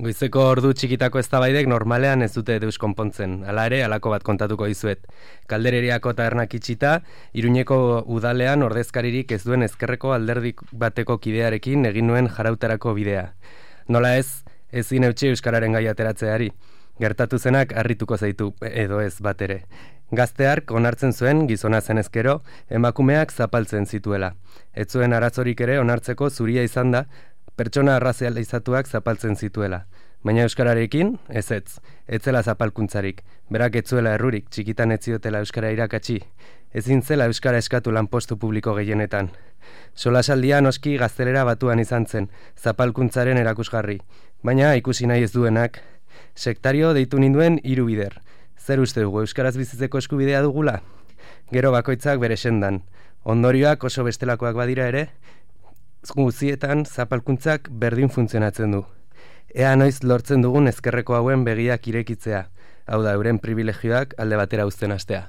Goizeko ordu txikitako eztabaidek normalean ez dute deus konpontzen. Hala ere, halako bat kontatuko dizuet. Kaldereriako tabernak itxita, Iruñeko udalean ordezkaririk ez duen ezkerreko alderdi bateko kidearekin egin nuen jarautarako bidea. Nola ezin eutsi euskararen gai ateratzeari. Gertatu zenak harrituko zaitu, edo ez bat ere. Gazteark onartzen zuen gizona zenezkero, emakumeak zapaltzen zituela. Ez zuen arazorik ere onartzeko zuria izan da, pertsona arrazializatuak zapaltzen zituela. Baina euskararekin, ez zela zapalkuntzarik. Berak ez zuela errurik, txikitan ez ziotela euskara irakatsi. Ezin zela euskara eskatu lanpostu publiko gehienetan. Solasaldia noski gaztelera batuan izan zen, zapalkuntzaren erakusgarri. Baina ikusi nahi ez duenak, sektario deitu ninduen 3 bider. Zer uste dugu, euskaraz bizitzeko eskubidea dugula? Gero bakoitzak bere sendan. Ondorioak oso bestelakoak badira ere, guztietan zapalkuntzak berdin funtzionatzen du. Ea noiz lortzen dugun ezkerreko hauen begiak irekitzea. Hau da, euren privilegioak alde batera uzten hastea.